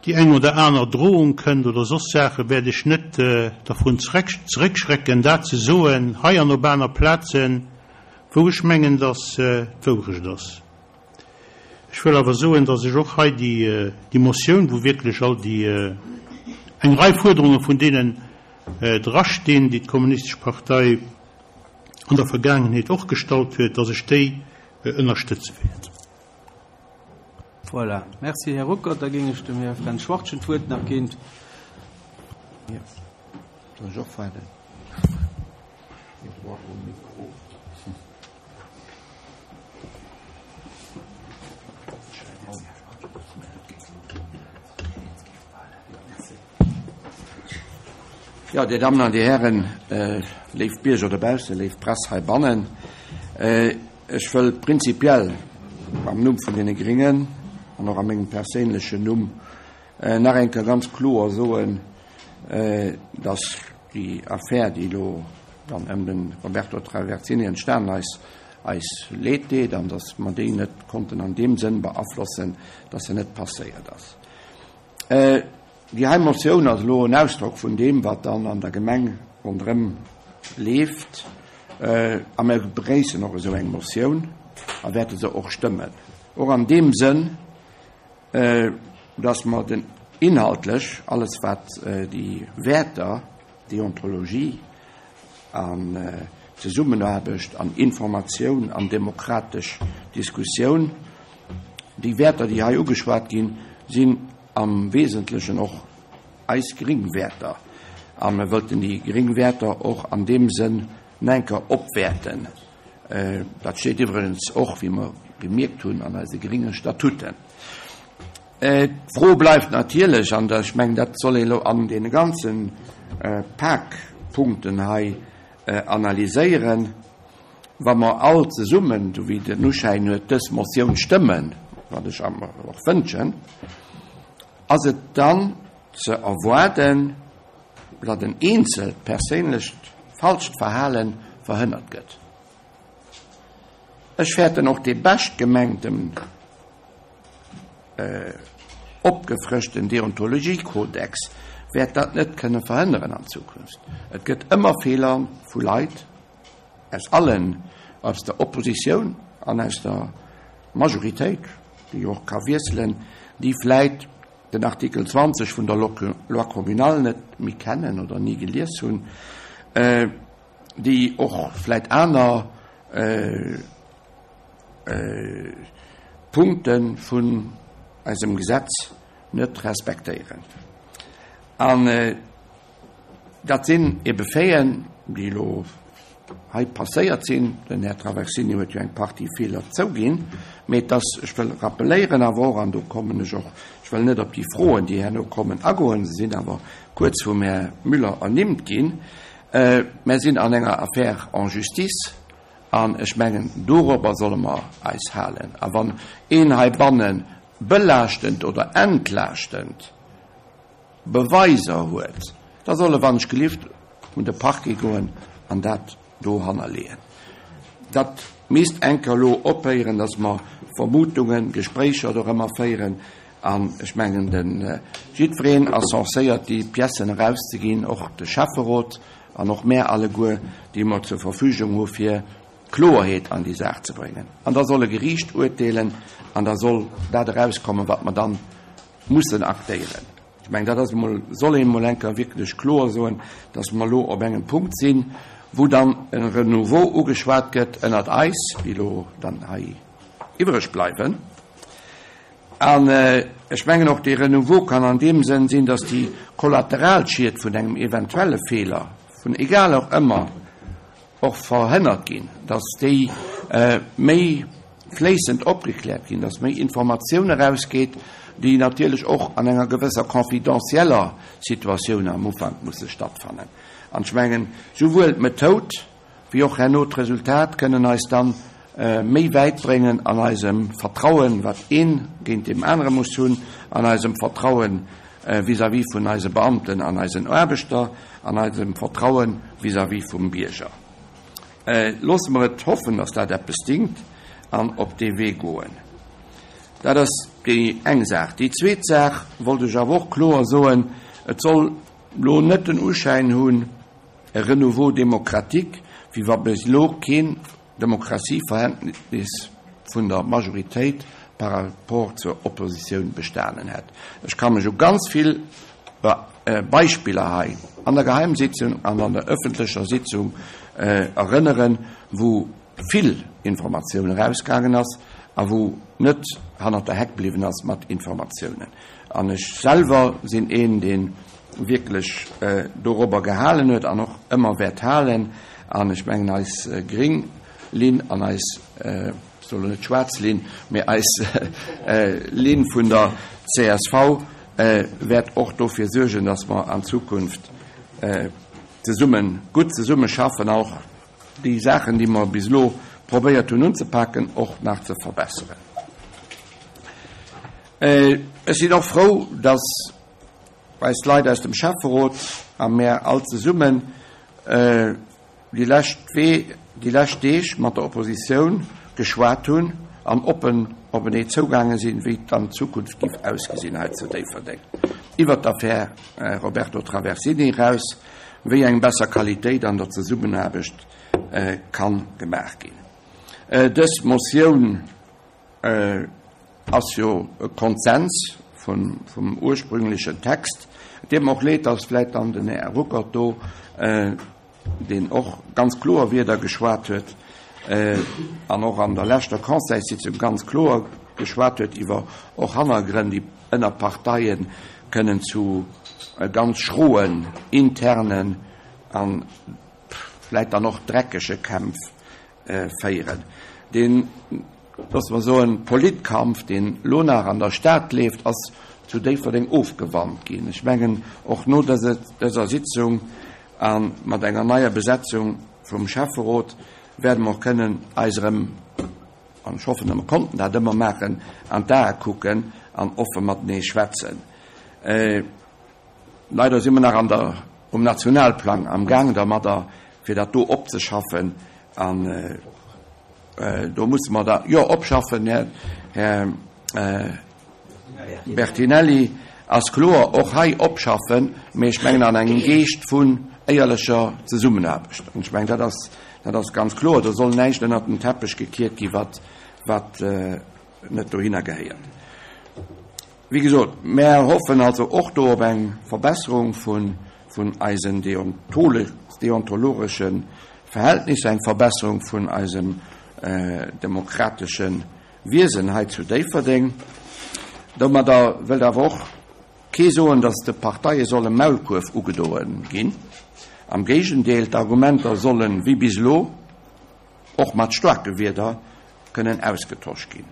[SPEAKER 7] déi eng oder aner Drohung kënnt oder soss Saachen, wäert ech net dervun zeréckschrecken, dat ze soen, hei an op aner Plazen, wou ech mengen, dass d'Wourecht ass. Ech wëll awer soen, dass ech och hei déi Motioun, wou wierklech all déi, eng Rei Fuerderunge vun deenen drastinn, déi d'Kommunistesch Partei an der Vergaangenheet och gestallt huet, dass ech déi ënnerstëtze wäert.
[SPEAKER 1] Voilà. Merci, Här Ruckert. Da géing ech dem Här Fränz Schwartgen d'Wuert nach ginn.
[SPEAKER 8] Jo, soll ech och waarden? Jo, Dir Dammen an Dir Hären, léif Bierger dobaussen, léif Press heibannen, Ech wëll prinzipiell am Numm vun deene Gringen an och a mengem perséinlechen Numm nach eng Kéier ganz kloer soen, dass déi Affär, déi elo dann ëm de Roberto Traversini entstanen ass, eis Leed deet an dass mer déi net konnten an deem Sënn beaflossen, dass se net passéiert ass. Déi hei Motioun ass elo en Ausdrock vun deem, wat dann an der Gemeng ronderëm leeft. A mir begréissen och esou eng Motioun a wäerte se och stëmmen. Och an deem Sënn, dass mer den inhaltlech alles, wat déi Wäerter, Deontologie an Zesummenaarbecht an Informatioun an demokratesch Diskussioun, déi Wäerter, déi hei ugeschwat ginn, sinn am Wesentlechen och eis gring Wäerter. A mir wëllten déi gring Wäerter och an deem Sënn enker opwäerten. Dat steet iwwregens och, wéi mer gemierkt hunn, an eise gringe Statuten. D'Fro bleift natierlech, an ech mengen, dat soll een elo an deene ganze Pak Punkten hei analyséieren, Wa mer all zesummen, esou wéi den Uschäin huet, dës Motioun stëmmen, wat ech mer och wënschen, ass et dann ze erwaarden, datt en eenzelt perséinlecht falscht Verhale verhënnert gëtt. Ech fäerten och dee beschtgemengten opgefrëschten Deontologiekodex wäert dat net kënne verhënneren an Zukunft. Et gëtt ëmmer Feeler vu Leit aus allen, aus der Oppositioun an aus der Majoritéit, déi jo och ka wiesselen, déi vläit den Artikel 20 vun der Loi communale net méi kennen oder ni gelies hunn, déi och vläit aner Punkte vun eisem Gesetz net respektéieren. An dat sinn ebe Faiten, déi elo hei passéiert sinn. Den Här Traversini huet jo eng Partie Feeler zouginn. Mee et ass, ech wëll rappeléieren awer och, an do kommen ech och, ech wëll net op déi Froen, déi herno kommen, agoen, se sinn awer kuerz vum Här Müller ernimmt ginn, Mer sinn an enger Affaire en justice an ech mengen, dorobber solle mer eis halen. A wann een heibanne belaaschtend oder entlaaschtend Beweiser huet, da soll e wann ech gelift un de Parquet goen an dat do hannerleeën. Dat misst enker elo ophéieren, dass mer Vermutungen, Gespréicher dorëmmer féieren. An ech mengen, de jiddwereen ass censéiert, déi Piècen erauszeginn, och de Schäfferot an och mär alleguer, déi mer zur Verfügung hu fir Kloerheet an déi Saach ze bréngen. An da soll e Geriicht urteelen an da soll dat erauskommen, wat mer dann mussen aktéieren. Ech mengen, dat ass emol, soll een emol eng Kéier wierklech kloer soen, dass mer elo op engem Punkt sinn, wou dann e Renouveau ugeschwat gëtt ënnert eis, déi elo dann hei iwwreg bleiwen. An ech mengen och, dee Renouveau kann an deem Sënn sinn, dass déi Kollateralschied vun engem eventuelle Feeler, vun egal och ëmmer, och verhënnert ginn, dass déi méi fléissend opgekläert ginn, dass méi Informatioun erausgeet, déi natierlech och an enger gewësser confidentieller Situatioun am Ufank musse stattfannen. An ech mengen, souwuel d'Methoud wéi och herno d'Resultat kënnen eis dann méi wäit bréngen an eisem Vertrauen, wat ee géint deem anere muss hunn, an eisem Vertrauen vis-à-vis vun eise Beamten an eisen Aarbechter, an eisem Vertraue vis-à-vis vum Bierger. Loosse mer et hoffen, dass dat eppes dingt an op dee Wee goen. Dat ass déi eng Saach. Déi zweet Saach wollt ech awer och kloer soen, Et soll elo net den Uschäin hunn, e Renouveau démocratique, wéi wa bis elo keen Demokratieverhältnis vun der Majoritéit par rapport zur Oppositioun bestanen hätt. Ech ka mech u ganz vill Beispiller hei an der Geheimsitzung an an der öffentlecher Sitzung erënneren, wou vill Informatioun erausgaangen ass a wou net hannert der Heck bliwwen ass mat Informatiounen. An ech selwer sinn een, dee wierklech dorobber gehalen huet an och ëmmer wäert halen. An ech mengen, eis gréng Linn an eis, ech soe lo net schwaarz Linn, mee eis Linn vun der csv wäert och dofir suergen, dass mer an Zukunft zesummen, gutt zesumme schaffen a och déi Saachen, déi mer bis elo probéiert hunn unzepaken, och nach ze verbesseren. Ech sinn och frou, dass eis Leit aus dem Schäfferot a mär all zesummen déi lescht Wee, déi lescht Deeg mat der Oppositioun geschwat hunn an oppen openee zougaange sinn, wéi et an Zukunft giff ausgesinn hei zu Déifferdeng, iwwert d'Affär Roberto Traversini eraus, wéi eng besser Qualitéit an der Zesummenaarbecht kann gemaach ginn. Dës Motioun Ass jo e Konsens vum ursprünglechen Text. Et deet mer och leed, dass vläicht dann den Här Ruckert do, deen och ganz kloer Wierder geschwat huet an och an der leschter Conseilssitzung ganz kloer geschwat huet iwwer och Hannergrënn, déi ënner Parteie kënnen zu ganz schroen internen a vläicht dann och dreckege Kämpf féieren. Deen, loosse mer soen, Politkampf, deen elo nach an der Stad leeft, ass zu Déifferdeng ofgewannt ginn. Ech mengen, och no dëser Sitzung a mat enger neier Besetzung vum Schäfferot wäerte mer och kënnen eis erëm, an ech hoffen, mer konnten dat ëmmer maachen, an d'Ae kucken an offe matenee schwätzen. Leider si mer nach an der, um Nationalplang am Gaang dermadder, fir dat do opzeschaffen. An do musse mer da, jo, opschaffen, Här, Här Bertinelli, ass kloer, och hei opschaffen, mee ech mengen an engem Geescht vun éierlecher Zesummenaarbecht. An ech mengen, dat ass, dat ass ganz kloer. Do soll näischt ënnert den Teppech gekiert gi wat, wat net dohinner gehéiert. Wéi gesot, mär hoffen also och do op eng Verbesserung vun eisen deontologesche Verhältnisser, eng Verbesserung vun eisem demokratesche Wiesen hei zu Déifferdeng. Domadder wëllt awer och kee soen, datt de Parteie soll e Maulkuerf ugedoe ginn. Am Géigendeel, d'Argumenter sollen, wéi bis elo, och mat staarke Wierder kënnen ausgetosch ginn.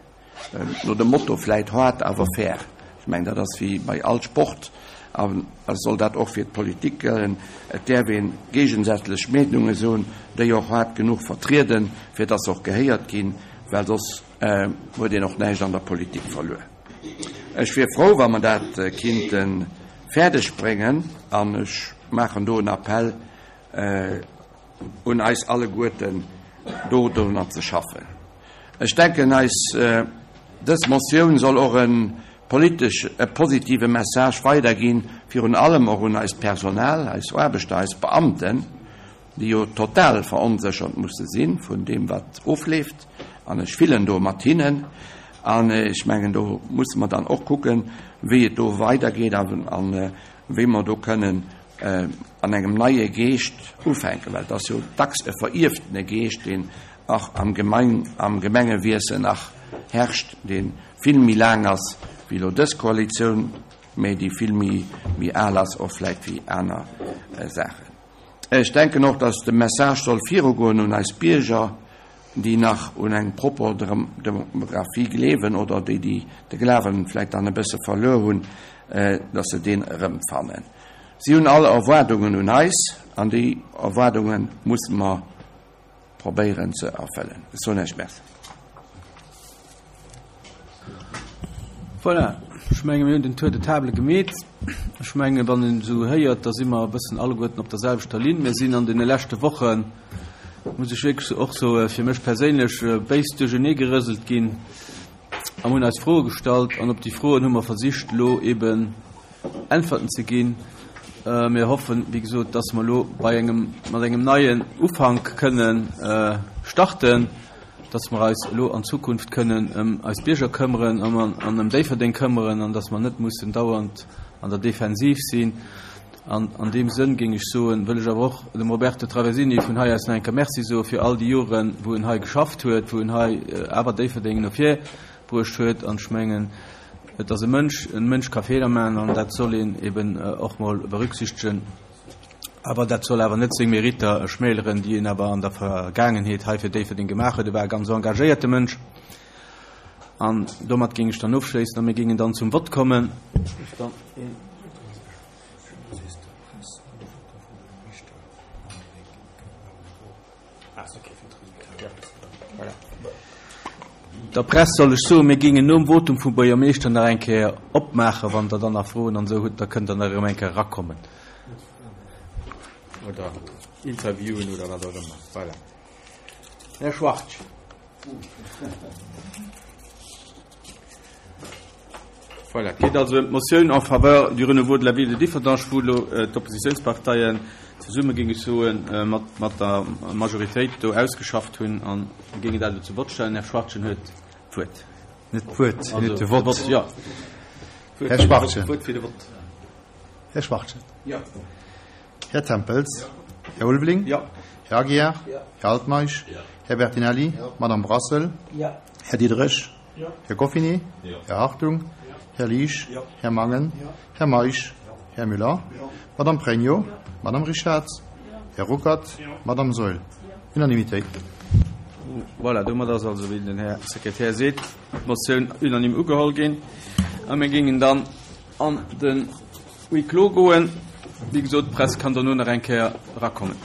[SPEAKER 8] No dem Motto vläit hart, awer fair. Ech mengen, dat ass wéi bei all Sport a soll dat och fir d'Politik gëllen. Et däerf ee géigesätzlech Meenunge soen, déi och haart genuch vertrieden, fir dass se och gehéiert ginn, well soss huet een och näischt an der Politik verluer. Ech wier frou, wa mer dat kinnte fäerdeg bréngen an ech maachen do en Appell un eis alleguerten, do dorunner ze schaffen. Ech denken, eis dës Motioun soll och e. politesch e positive Message weiderginn, virun allem och un eist Personal, eis Aarbechter, eis Beamten, déi jo total veronséchert musse si vun deem, wat ofleeft. An ech fillen do mat hinnen. An ech mengen, do musse mer dann och kucken, wéi et do weidergeet a wéi mer do kënnen an engem neie Geescht ufänken, well et ass jo dacks e verierftene Geescht, deen och am Gemengewiesen nach herrscht, dee vill méi laang ass wéi elo dës Koalitioun, mä déi vill méi al ass och vläicht wéi aner Saachen. Ech denken och, dass de Message soll virugoen un eis Bierger, déi nach un eng propper Demographie gleewen oder déi, déi de Glawen vläicht dann e bësse verluer hunn, dass se deen erëmfannen. Si hunn all Erwaardungen un eis an déi Erwaardunge musse mer probéieren ze erfëllen. Ech soen Iech Merci.
[SPEAKER 1] Voilà, ech menge mir hunn den Tour de table gemeet. Ech menge wann een esou héiert, da si mer e bëssen alleguerten op der selwechter Linn. Mir sinn an deene leschte Wochen, muss ech wierklech och soen, fir mech perséinlech béis duerchenee gerëselt ginn a mir hunn eis Froe gestallt an op déi Froen hu mer versicht elo eeben Äntwerten ze ginn. Mir hoffen, wéi gesot, dass mer elo bei engem, mat engem neien Ufank kënnen starten, dass mer eis elo an Zukunft kënnen ëm eis Bierger këmmeren an ëm Déifferdeng këmmeren an dass mer net mussen dauernd an der Defensiv sinn. An an deem Sënn, géing ech soen, wëll ech awer och dem Roberto Traversini vun hei aus nach eng Kéier Merci soe fir all déi Joren, wou en hei geschafft huet, wou en hei awer Déifferdeng no vir bruecht huet. An ech mengen, et ass e Mënsch, e Mënsch ka Feeler maachen an dat soll een eben och mol berücksichtegen. Awer dat soll awer net seng Meritter schmäleren, déi en awer an der Vergaangenheet hei fir Déifferdeng gemaach huet. E war e ganz engagéierte Mënsch. An domat géing ech dann ofschléissen a mir géingen dann zum Vott kommen. Der Press soll ech soen, mir géingen nom Votum vum Buergermeeschter nach eng Kéier opmaachen, wann Der dann nach Froen an esou hutt, da kënnt Der nach erëm eng Kéier erakommen oder Interviewen oder wat och ëmmer. Voilà. Här Schwartz. Voilà, et geet also ëm d'Motioun en faveur du renouveau de la ville de Differdange, wou elo d'Oppositionsparteien zesumme, géing ech soen, mat, mat der Majoritéit do ausgeschafft hunn a géingen dat elo zum Vott stellen. Här Schwartgen huet d'Wuert.
[SPEAKER 9] Net d'Wuert, hien huet de Vott.
[SPEAKER 1] Jo.
[SPEAKER 9] Här Schwartgen.
[SPEAKER 1] D'Wuert fir de Vott.
[SPEAKER 9] Här Schwartgen.
[SPEAKER 1] Jo.
[SPEAKER 9] Här Tempels. Här Ulveling.
[SPEAKER 1] Jo.
[SPEAKER 9] Här Aguiar. Här Altmeisch. Här Bertinelli. Madame Brassel. Här Diderich. Här Goffinet. Här Hartung. Här Liesch. Här Mangen. Här Meisch. Här Müller. Madame Pregno. Madame Richarz. Här Ruckert. Madame Saeul. Unanimitéit.
[SPEAKER 1] Voilà, domat ass also, wéi den Här Sekretär seet, d'Motioun unanime ugeholl ginn. A mir géingen dann an de Huis clos goen. Wéi gesot, d'Press kann dono nach eng Kéier erakommen.